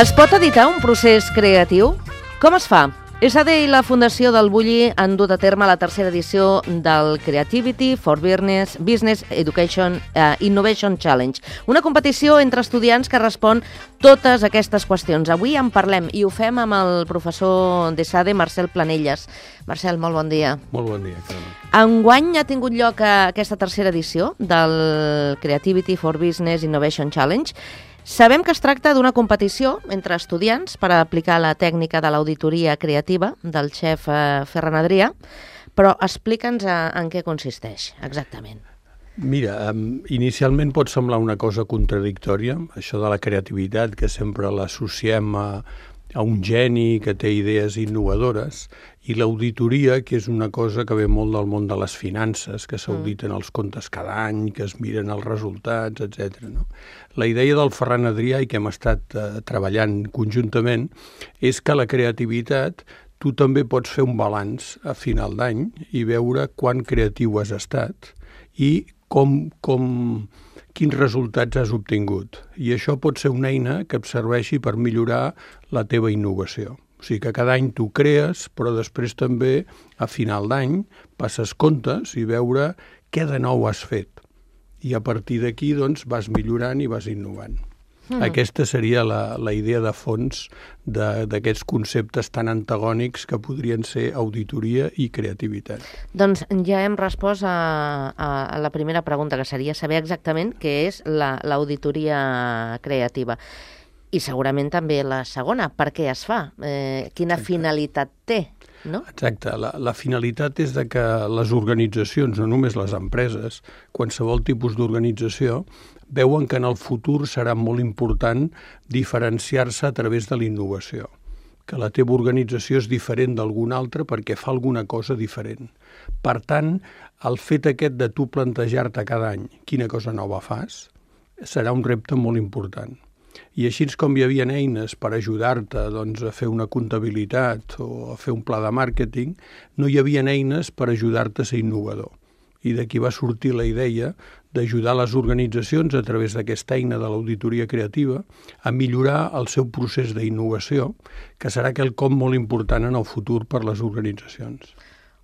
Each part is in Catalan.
Es pot editar un procés creatiu? Com es fa? ESADE i la Fundació del Bulli han dut a terme la tercera edició del Creativity for Business Education Innovation Challenge, una competició entre estudiants que respon totes aquestes qüestions. Avui en parlem i ho fem amb el professor d'ESADE, Marcel Planelles. Marcel, molt bon dia. Molt bon dia, Carme. Enguany ha tingut lloc aquesta tercera edició del Creativity for Business Innovation Challenge. Sabem que es tracta d'una competició entre estudiants per aplicar la tècnica de l'auditoria creativa del xef Ferran Adrià, però explica'ns en què consisteix exactament. Mira, inicialment pot semblar una cosa contradictòria, això de la creativitat, que sempre l'associem a un geni que té idees innovadores, i l'auditoria, que és una cosa que ve molt del món de les finances, que s'auditen els comptes cada any, que es miren els resultats, etc. No? La idea del Ferran Adrià, i que hem estat treballant conjuntament, és que la creativitat tu també pots fer un balanç a final d'any i veure quan creatiu has estat i quins resultats has obtingut. I això pot ser una eina que et serveixi per millorar la teva innovació. O sigui que cada any tu crees, però després també, a final d'any, passes comptes i veure què de nou has fet. I a partir d'aquí, doncs, vas millorant i vas innovant. Aquesta seria la idea de fons d'aquests conceptes tan antagònics que podrien ser auditoria i creativitat. Doncs ja hem respost a la primera pregunta, que seria saber exactament què és l'auditoria creativa. I segurament també la segona, per què es fa? Quina finalitat té? No? Exacte. La finalitat és de que les organitzacions, no només les empreses, qualsevol tipus d'organització, veuen que en el futur serà molt important diferenciar-se a través de la innovació, que la teva organització és diferent d'alguna altra perquè fa alguna cosa diferent. Per tant, el fet aquest de tu plantejar-te cada any quina cosa nova fas serà un repte molt important. I així com hi havia eines per ajudar-te a fer una comptabilitat o a fer un pla de màrqueting, no hi havia eines per ajudar-te a ser innovador. I d'aquí va sortir la idea d'ajudar les organitzacions a través d'aquesta eina de l'auditoria creativa a millorar el seu procés d'innovació, que serà quelcom molt important en el futur per les organitzacions.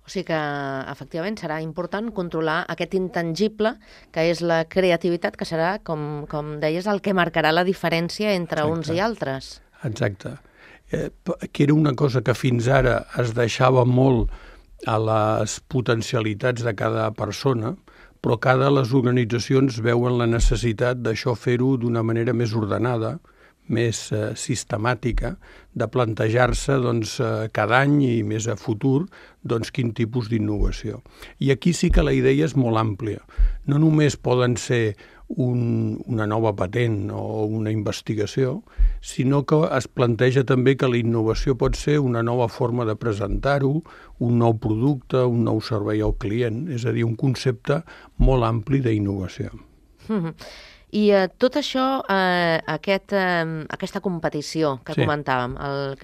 O sigui que, efectivament, serà important controlar aquest intangible que és la creativitat, que serà, com deies, el que marcarà la diferència entre uns i altres. Exacte. Que era una cosa que fins ara es deixava molt a les potencialitats de cada persona, però cada les organitzacions veuen la necessitat d'això fer-ho d'una manera més ordenada, més sistemàtica, de plantejar-se cada any i més a futur quin tipus d'innovació. I aquí sí que la idea és molt àmplia. No només poden ser una nova patent o una investigació, sinó que es planteja també que la innovació pot ser una nova forma de presentar-ho, un nou producte, un nou servei al client, és a dir, un concepte molt ampli d'innovació. I tot això, aquesta competició que comentàvem, el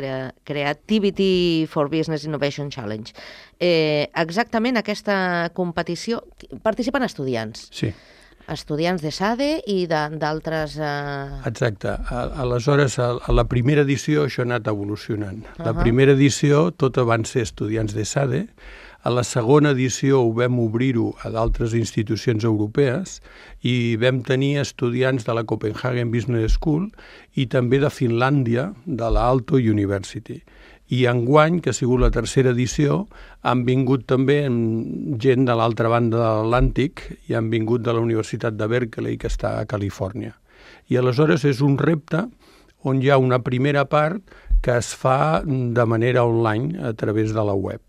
Creativity for Business Innovation Challenge, exactament aquesta competició, participen estudiants. Sí. Estudiants d'ESADE i d'altres... Exacte. Aleshores, a la primera edició això ha anat evolucionant. La primera edició tota van ser estudiants d'ESADE. A la segona edició ho vam obrir-ho a d'altres institucions europees i vam tenir estudiants de la Copenhagen Business School i també de Finlàndia, de la Aalto University. I enguany, que ha sigut la tercera edició, han vingut també gent de l'altra banda de l'Atlàntic i han vingut de la Universitat de Berkeley, que està a Califòrnia. I aleshores és un repte on hi ha una primera part que es fa de manera online a través de la web.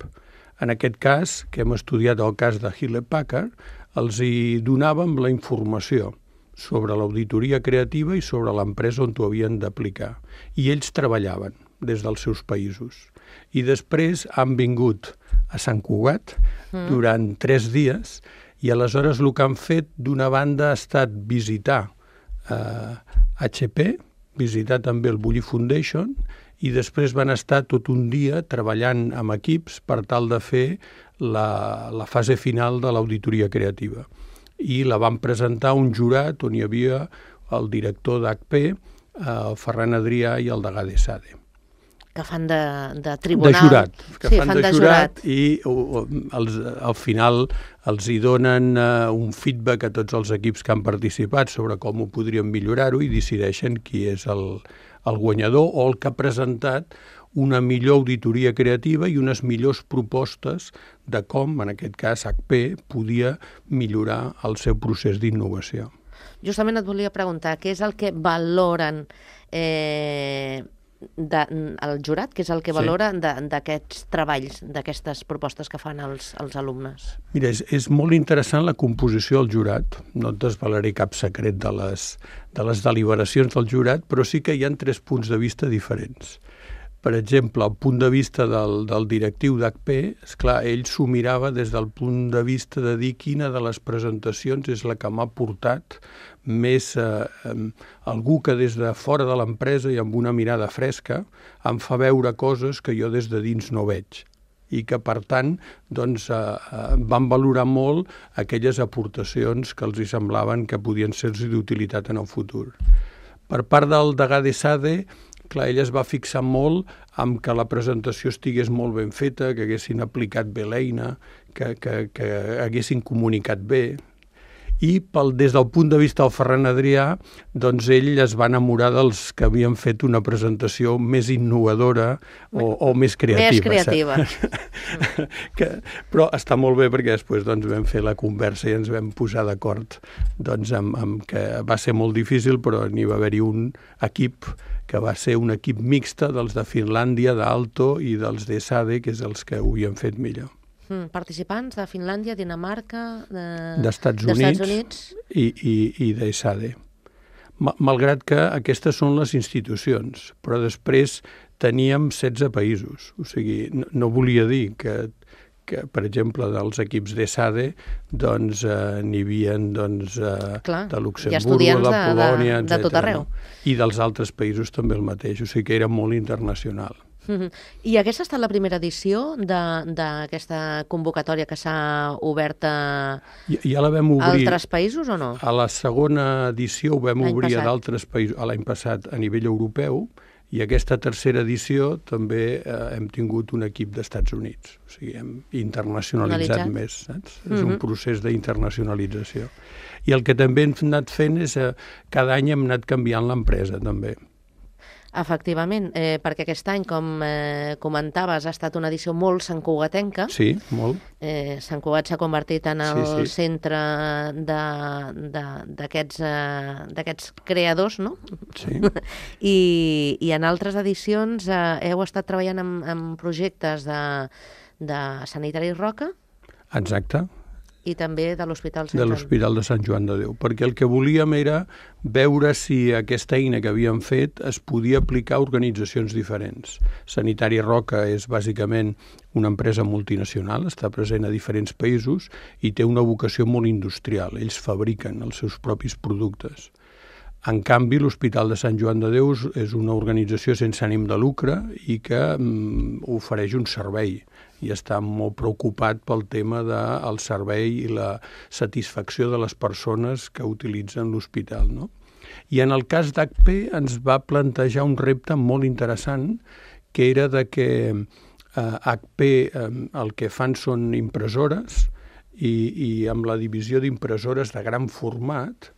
En aquest cas, que hem estudiat el cas de Hewlett-Packard, els hi donàvem la informació sobre l'auditoria creativa i sobre l'empresa on t'ho havien d'aplicar. I ells treballaven des dels seus països. I després han vingut a Sant Cugat durant 3 dies i aleshores el que han fet d'una banda ha estat visitar HP, visitar també el Bulli Foundation i després van estar tot un dia treballant amb equips per tal de fer la fase final de l'auditoria creativa. I la van presentar a un jurat on hi havia el director d'HP, el Ferran Adrià i el degà d'ESADE. Que fan de tribunal. De jurat. Que sí, fan de jurat i al final els hi donen un feedback a tots els equips que han participat sobre com ho podrien millorar-ho i decideixen qui és el guanyador o el que ha presentat una millor auditoria creativa i unes millors propostes de com, en aquest cas, HP podia millorar el seu procés d'innovació. Justament et volia preguntar, què és el que valoren el jurat, què és el que valora d'aquests treballs, d'aquestes propostes que fan els alumnes? Mira, és molt interessant la composició del jurat. No et desvelaré cap secret de les deliberacions del jurat, però sí que hi ha 3 punts de vista diferents. Per exemple, el punt de vista del directiu d'HP, esclar, ell s'ho mirava des del punt de vista de dir quina de les presentacions és la que m'ha portat més algú que des de fora de l'empresa i amb una mirada fresca em fa veure coses que jo des de dins no veig i que, per tant, doncs, van valorar molt aquelles aportacions que els hi semblaven que podien ser-los d'utilitat en el futur. Per part del degà d'ESADE, clar, ell es va fixar molt en que la presentació estigués molt ben feta, que haguessin aplicat bé l'eina, que haguessin comunicat bé. I des del punt de vista del Ferran Adrià, doncs ell es va enamorar dels que havien fet una presentació més innovadora o més creativa. Més creativa. Però està molt bé perquè després doncs, vam fer la conversa i ens vam posar d'acord doncs, amb que va ser molt difícil, però n'hi va haver-hi un equip que va ser un equip mixte dels de Finlàndia, d'Aalto i dels d'ESADE, que és els que ho havien fet millor. Participants de Finlàndia, Dinamarca, d'Estats Units i d'ESADE. Malgrat que aquestes són les institucions, però després teníem 16 països. O sigui, no volia dir que per exemple, dels equips d'ESADE, doncs n'hi havia de Luxemburg, de Polònia, etc. De tot arreu. I dels altres països també el mateix, o sigui que era molt internacional. I aquesta ha estat la primera edició d'aquesta convocatòria que s'ha obert a altres països o no? A la segona edició ho vam obrir a d'altres països, l'any passat a nivell europeu, i aquesta tercera edició també hem tingut un equip d'Estats Units. O sigui, hem internacionalitzat més, saps? És un procés d'internacionalització. I el que també hem anat fent és cada any hem anat canviant l'empresa, també. Efectivament, perquè aquest any, com comentaves, ha estat una edició molt santcugatenca. Sí, molt. Sant Cugat s'ha convertit en el centre d'aquests creadors, no? Sí. I en altres edicions heu estat treballant en projectes de Sanitari Roca. Exacte. I també de l'Hospital de Sant Joan de Déu, perquè el que volíem era veure si aquesta eina que havíem fet es podia aplicar a organitzacions diferents. Sanitari Roca és bàsicament una empresa multinacional, està present a diferents països i té una vocació molt industrial. Ells fabriquen els seus propis productes. En canvi, l'Hospital de Sant Joan de Déu és una organització sense ànim de lucre i que ofereix un servei i està molt preocupat pel tema del servei i la satisfacció de les persones que utilitzen l'hospital, no? I en el cas d'HP ens va plantejar un repte molt interessant, que era de que HP el que fan són impressores i amb la divisió d'impressores de gran format,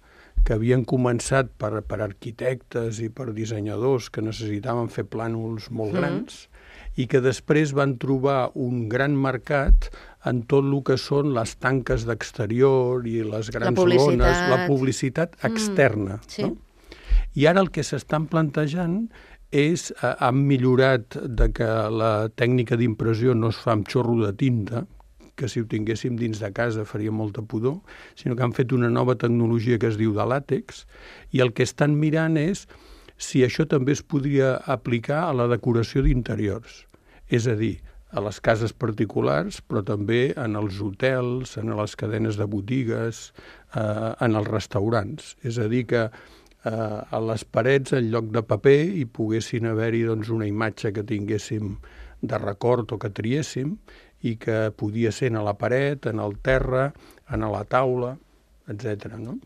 que havien començat per arquitectes i per dissenyadors que necessitaven fer plànols molt grans i que després van trobar un gran mercat en tot el que són les tanques d'exterior i les grans lones, la publicitat externa. Sí. No? I ara el que s'estan plantejant han millorat de que la tècnica d'impressió no es fa amb xorro de tinta, que si ho tinguéssim dins de casa faria molta pudor, sinó que han fet una nova tecnologia que es diu de làtex, i el que estan mirant és si això també es podria aplicar a la decoració d'interiors. És a dir, a les cases particulars, però també en els hotels, en les cadenes de botigues, en els restaurants. És a dir, que a les parets, en lloc de paper, hi poguessin haver-hi una imatge que tinguéssim de record o que triéssim, i que podia ser a la paret, en el terra, en la taula, etc. No?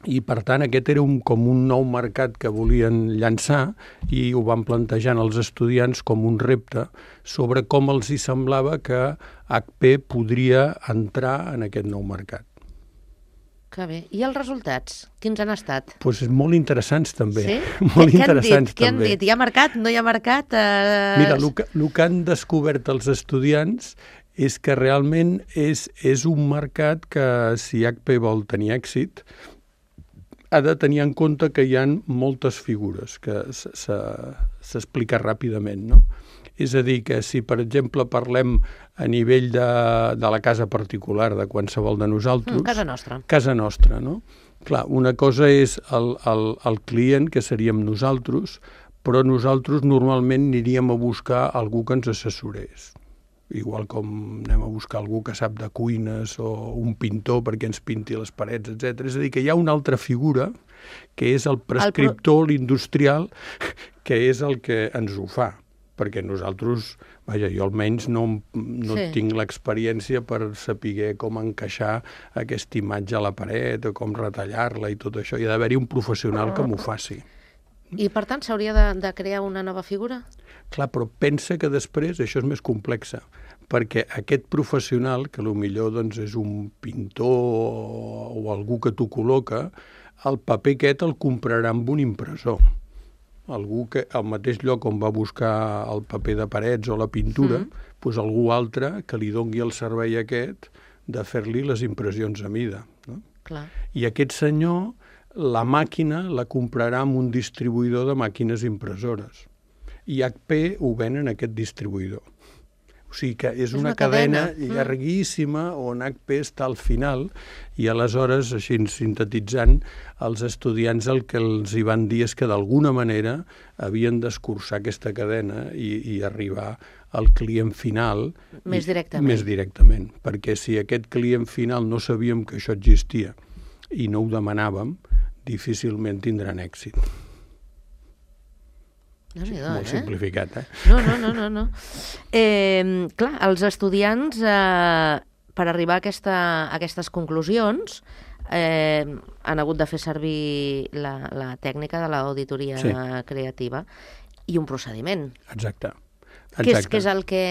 I, per tant, aquest era com un nou mercat que volien llançar i ho van plantejant els estudiants com un repte sobre com els hi semblava que HP podria entrar en aquest nou mercat. Que bé. I els resultats? Quins han estat? Doncs molt interessants, també. Sí? Molt interessants, Què han dit? Hi ha mercat? No hi ha mercat? Mira, el que han descobert els estudiants és que realment és un mercat que, si HP vol tenir èxit, ha de tenir en compte que hi ha moltes figures, que s'explica ràpidament, no? És a dir, que si, per exemple, parlem a nivell de la casa particular de qualsevol de nosaltres... Casa nostra. Casa nostra, no? Clar, una cosa és el client, que seríem nosaltres, però nosaltres normalment aniríem a buscar algú que ens assessorés. Igual com anem a buscar algú que sap de cuines o un pintor perquè ens pinti les parets, etc. És a dir, que hi ha una altra figura, que és el prescriptor, l'industrial, que és el que ens ho fa. Perquè nosaltres, vaja, jo almenys no tinc l'experiència per saber com encaixar aquesta imatge a la paret o com retallar-la i tot això. Hi ha d'haver-hi un professional que m'ho faci. I, per tant, s'hauria de crear una nova figura? Clar, però pensa que després això és més complex, perquè aquest professional, que potser és un pintor o algú que t'ho col·loca, el paper aquest el comprarà amb un impressor. Algú que al mateix lloc on va buscar el paper de parets o la pintura, doncs algú altre que li doni el servei aquest de fer-li les impressions a mida. No? Clar. I aquest senyor, la màquina la comprarà amb un distribuïdor de màquines impressores. I HP ho ven en aquest distribuïdor. O sigui que és una cadena llarguíssima on HP està al final i aleshores, així sintetitzant, els estudiants el que els hi van dir és que d'alguna manera havien d'escurçar aquesta cadena i arribar al client final més directament. Més directament, perquè si aquest client final no sabíem que això existia i no ho demanàvem, difícilment tindran èxit. Molt simplificat, No. Clar, els estudiants, per arribar a aquestes conclusions, han hagut de fer servir la tècnica de l'auditoria creativa i un procediment. Exacte. Què és el que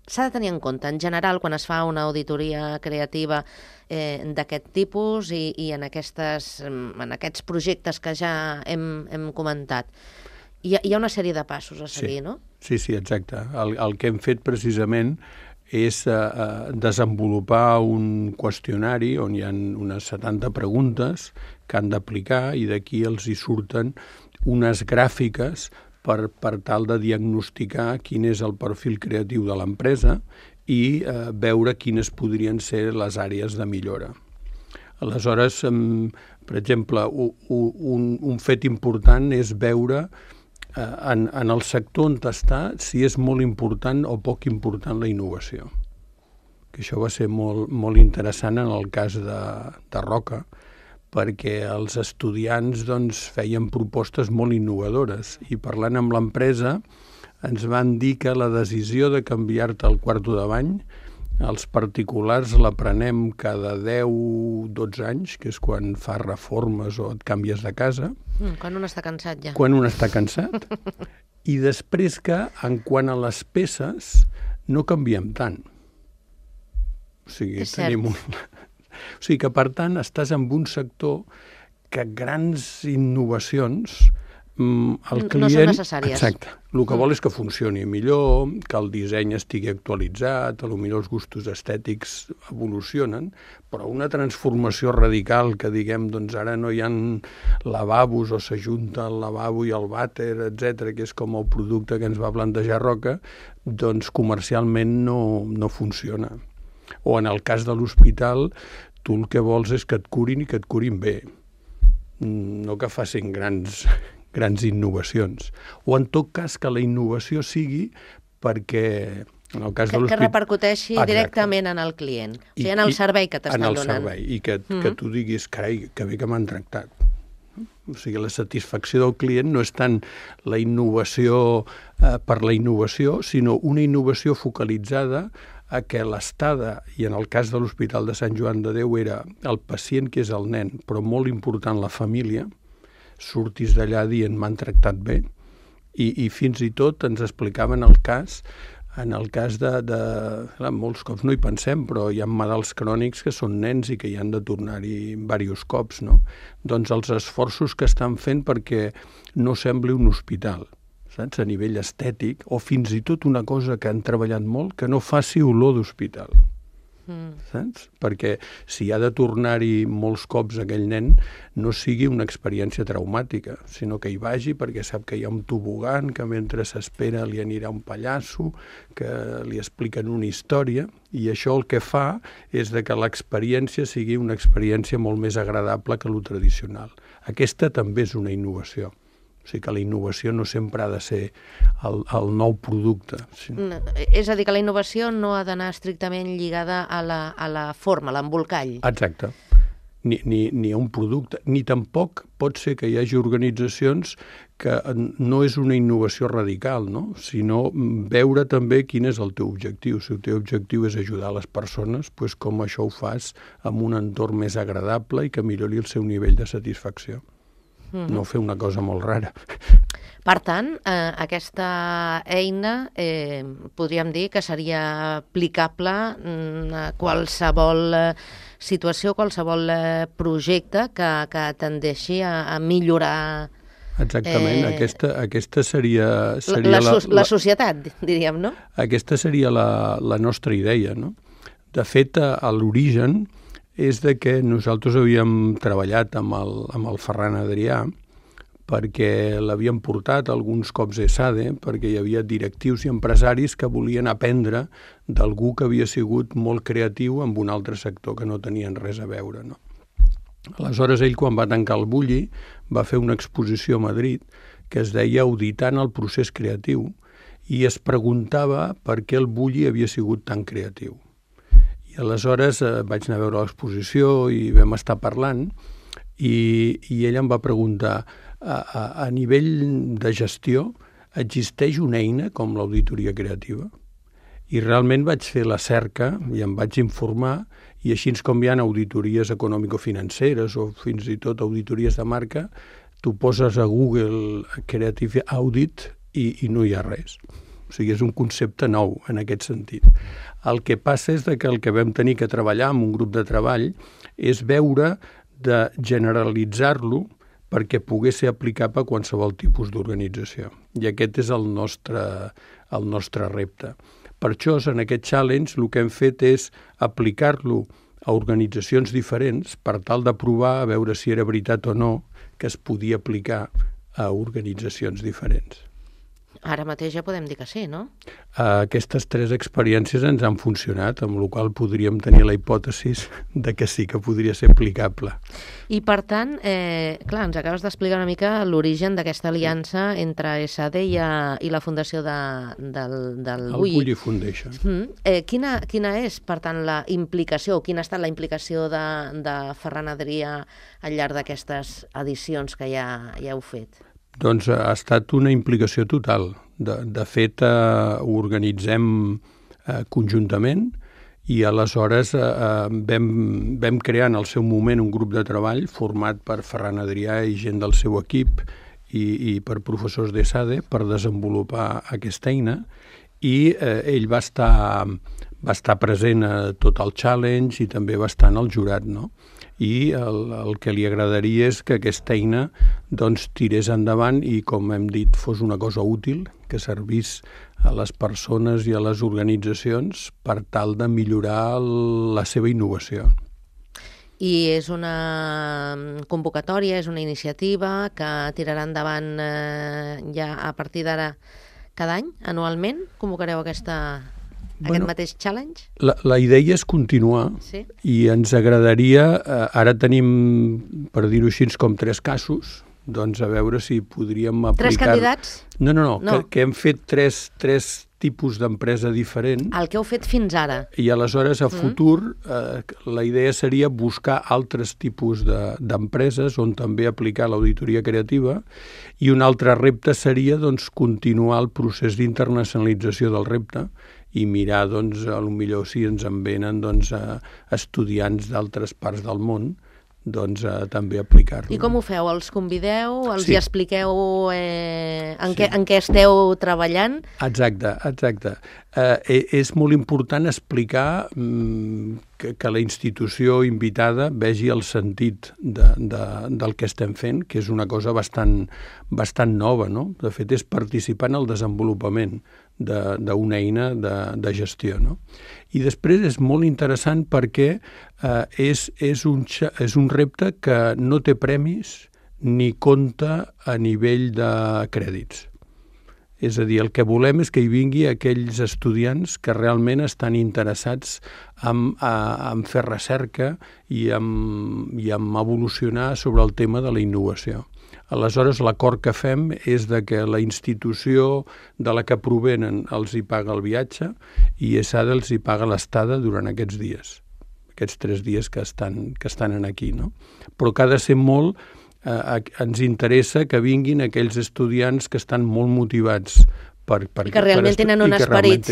s'ha de tenir en compte, en general, quan es fa una auditoria creativa d'aquest tipus i en aquests projectes que ja hem comentat? Hi ha una sèrie de passos a seguir, no? Sí, exacte. El que hem fet precisament és desenvolupar un qüestionari on hi ha unes 70 preguntes que han d'aplicar i d'aquí els hi surten unes gràfiques per tal de diagnosticar quin és el perfil creatiu de l'empresa i veure quines podrien ser les àrees de millora. Aleshores, per exemple, un fet important és veure en el sector on està si és molt important o poc important la innovació. Que això va ser molt interessant en el cas de Roca, perquè els estudiants feien propostes molt innovadores i parlant amb l'empresa ens van dir que la decisió de canviar-te el quarto de bany els particulars la prenem cada 10-12 anys, que és quan fas reformes o et canvies de casa. Quan un està cansat ja. Quan un està cansat. I després que, en quant a les peces, no canviem tant. O sigui, tenim o sigui que, per tant, estàs en un sector que grans innovacions El client, no són necessàries. Exacte. El que vol és que funcioni millor, que el disseny estigui actualitzat, potser els gustos estètics evolucionen, però una transformació radical que diguem, doncs ara no hi ha lavabos o s'ajunta el lavabo i el vàter, etc, que és com el producte que ens va plantejar Roca, doncs comercialment no funciona. O en el cas de l'hospital, tu el que vols és que et curin i que et curin bé, no que facin grans innovacions. O en tot cas que la innovació sigui perquè en el cas de l'hospital... Que repercuteixi directament en el client, o sigui, en el servei que t'estan donant. En el servei, i que tu diguis, carai, que bé que m'han tractat. O sigui, la satisfacció del client no és tant la innovació per la innovació, sinó una innovació focalitzada a que l'estada, i en el cas de l'Hospital de Sant Joan de Déu era el pacient, que és el nen, però molt important la família, surtis d'allà dient m'han tractat bé, i fins i tot ens explicaven el cas, en el cas de molts cops no hi pensem, però hi ha malalts crònics que són nens i que hi han de tornar-hi diversos cops, no? Doncs els esforços que estan fent perquè no sembli un hospital, saps? A nivell estètic, o fins i tot una cosa que han treballat molt, que no faci olor d'hospital. Saps? Perquè si ha de tornar-hi molts cops aquell nen, no sigui una experiència traumàtica, sinó que hi vagi perquè sap que hi ha un tobogan, que mentre s'espera li anirà un pallasso, que li expliquen una història, i això el que fa és de que l'experiència sigui una experiència molt més agradable que lo tradicional. Aquesta també és una innovació. O sigui que la innovació no sempre ha de ser el nou producte. És a dir, que la innovació no ha d'anar estrictament lligada a la forma, a l'embolcall. Exacte. Ni a un producte, ni tampoc pot ser que hi hagi organitzacions que no és una innovació radical, no? Sinó veure també quin és el teu objectiu. Si el teu objectiu és ajudar les persones, doncs com això ho fas amb un entorn més agradable i que millori el seu nivell de satisfacció. No fer una cosa molt rara. Per tant, aquesta eina podríem dir que seria aplicable a qualsevol situació, qualsevol projecte que tendeixi a millorar... Exactament, aquesta seria la societat, diríem, no? Aquesta seria la nostra idea, no? De fet, a l'origen és de que nosaltres havíem treballat amb el Ferran Adrià perquè l'havien portat alguns cops a ESADE, perquè hi havia directius i empresaris que volien aprendre d'algú que havia sigut molt creatiu en un altre sector que no tenien res a veure, no? Aleshores, ell, quan va tancar el Bulli, va fer una exposició a Madrid que es deia Auditant el procés creatiu i es preguntava per què el Bulli havia sigut tan creatiu. I aleshores vaig anar a veure l'exposició i vam estar parlant i ell em va preguntar a nivell de gestió existeix una eina com l'auditoria creativa? I realment vaig fer la cerca i em vaig informar i així com hi ha auditories econòmico-financeres o fins i tot auditories de marca, tu poses a Google Creative Audit i no hi ha res. O sigui, és un concepte nou en aquest sentit. El que passa és que el que vam tenir que treballar amb un grup de treball és veure de generalitzar-lo perquè pogués ser aplicable a qualsevol tipus d'organització. I aquest és el nostre repte. Per això, en aquest challenge, el que hem fet és aplicar-lo a organitzacions diferents per tal de provar a veure si era veritat o no que es podia aplicar a organitzacions diferents. Ara mateix ja podem dir que sí, no? Aquestes 3 experiències ens han funcionat, amb la qual podríem tenir la hipòtesi de que sí que podria ser aplicable. I per tant, clar, ens acabes d'explicar una mica l'origen d'aquesta aliança entre ESADE i la fundació del Bulli. El Bulli Foundation. Quina és, per tant, la implicació, quina ha estat la implicació de Ferran Adrià al llarg d'aquestes edicions que ja heu fet? Doncs ha estat una implicació total. De fet, ho organitzem conjuntament i aleshores vam crear en el seu moment un grup de treball format per Ferran Adrià i gent del seu equip i per professors d'ESADE per desenvolupar aquesta eina i ell va va estar present a tot el challenge i també va estar en el jurat, no? I el que li agradaria és que aquesta eina doncs, tirés endavant i, com hem dit, fos una cosa útil, que servís a les persones i a les organitzacions per tal de millorar la seva innovació. I és una convocatòria, és una iniciativa que tirarà endavant ja a partir d'ara cada any, anualment? Convocareu aquest mateix challenge? La idea és continuar, sí? I ens agradaria, ara tenim, per dir-ho així, com 3 casos, doncs a veure si podríem aplicar... 3 candidats? No. Que hem fet 3 tipus d'empresa diferent. El que heu fet fins ara. I aleshores, a futur, la idea seria buscar altres tipus d'empreses on també aplicar l'auditoria creativa, i un altre repte seria doncs, continuar el procés d'internacionalització del repte i mirar, doncs, potser si ens en venen doncs, estudiants d'altres parts del món, doncs també aplicar-lo. I com ho feu? Els convideu? Els hi expliqueu en què esteu treballant? Exacte. És molt important explicar que la institució invitada vegi el sentit del que estem fent, que és una cosa bastant nova, no? De fet, és participar en el desenvolupament d'una eina de gestió, no? I després és molt interessant perquè és un repte que no té premis ni compta a nivell de crèdits. És a dir, el que volem és que hi vingui aquells estudiants que realment estan interessats en fer recerca i en evolucionar sobre el tema de la innovació. Aleshores, l'acord que fem és que la institució de la que provenen els hi paga el viatge i ESADE els hi paga l'estada durant aquests dies, aquests 3 dies que estan aquí, no? Però que ha de ser molt... ens interessa que vinguin aquells estudiants que estan molt motivats i que realment tenen un esperit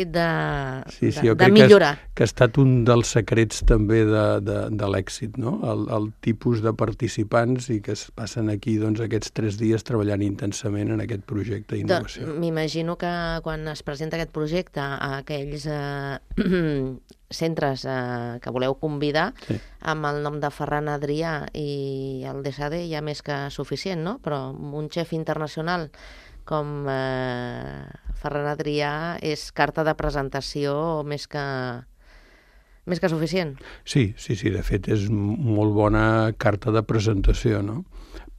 de millorar. Que ha estat un dels secrets també de l'èxit, no? El tipus de participants i que es passen aquí aquests 3 dies treballant intensament en aquest projecte d'innovació. M'imagino que quan es presenta aquest projecte a aquells centres que voleu convidar, amb el nom de Ferran Adrià i el d'ESADE ja més que suficient, no? Però un xef internacional com Ferran Adrià és carta de presentació més que suficient. Sí, de fet és molt bona carta de presentació, no?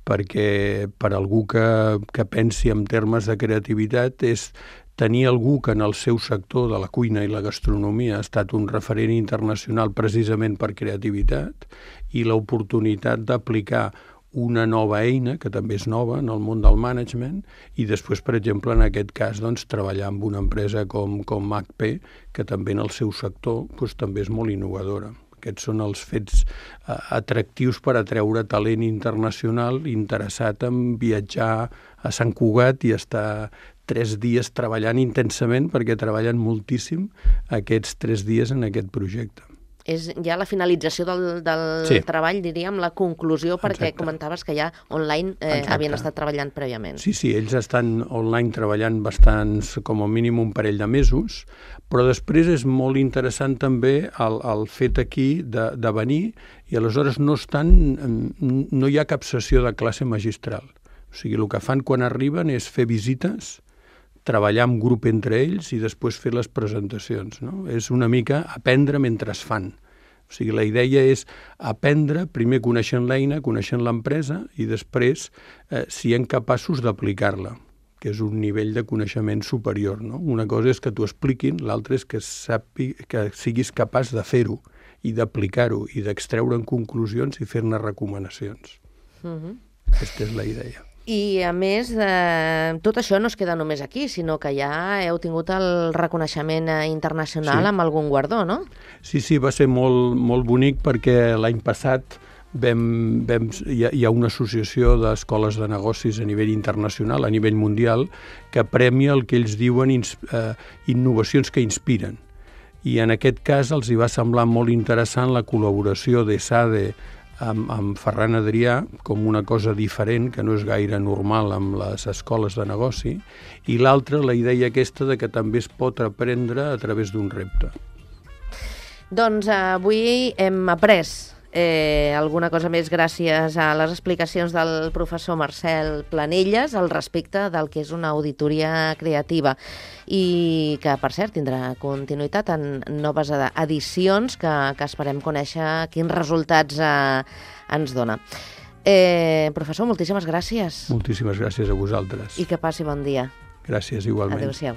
Perquè per algú que pensi en termes de creativitat és tenir algú que en el seu sector de la cuina i la gastronomia ha estat un referent internacional precisament per creativitat i l'oportunitat d'aplicar una nova eina, que també és nova en el món del management, i després, per exemple, en aquest cas, treballar amb una empresa com HP, que també en el seu sector també és molt innovadora. Aquests són els fets atractius per atreure talent internacional interessat en viatjar a Sant Cugat i estar 3 dies treballant intensament, perquè treballen moltíssim aquests 3 dies en aquest projecte. És ja la finalització del treball, diríem, la conclusió, perquè comentaves que ja online havien estat treballant prèviament. Sí, ells estan online treballant bastants, com a mínim un parell de mesos, però després és molt interessant també el fet aquí de venir i aleshores no hi ha cap sessió de classe magistral. O sigui, el que fan quan arriben és fer visites, treballar en grup entre ells i després fer les presentacions, no? És una mica aprendre mentre es fan. O sigui, la idea és aprendre, primer coneixent l'eina, coneixent l'empresa i després siguem capaços d'aplicar-la, que és un nivell de coneixement superior, no? Una cosa és que t'ho expliquin, l'altra és que siguis capaç de fer-ho i d'aplicar-ho i d'extreure'n conclusions i fer-ne recomanacions. Aquesta és la idea. I, a més, tot això no es queda només aquí, sinó que ja heu tingut el reconeixement internacional amb algun guardó, no? Sí, va ser molt bonic perquè l'any passat hi ha una associació d'escoles de negocis a nivell internacional, a nivell mundial, que premia el que ells diuen innovacions que inspiren. I en aquest cas els hi va semblar molt interessant la col·laboració d'ESADE amb Ferran Adrià com una cosa diferent, que no és gaire normal amb les escoles de negoci, i l'altra, la idea aquesta de que també es pot aprendre a través d'un repte. Doncs avui hem après alguna cosa més gràcies a les explicacions del professor Marcel Planelles al respecte del que és una auditoria creativa i que, per cert, tindrà continuïtat en noves edicions que esperem conèixer quins resultats ens dona. Professor, moltíssimes gràcies. Moltíssimes gràcies a vosaltres. I que passi bon dia. Gràcies, igualment. Adéu-siau.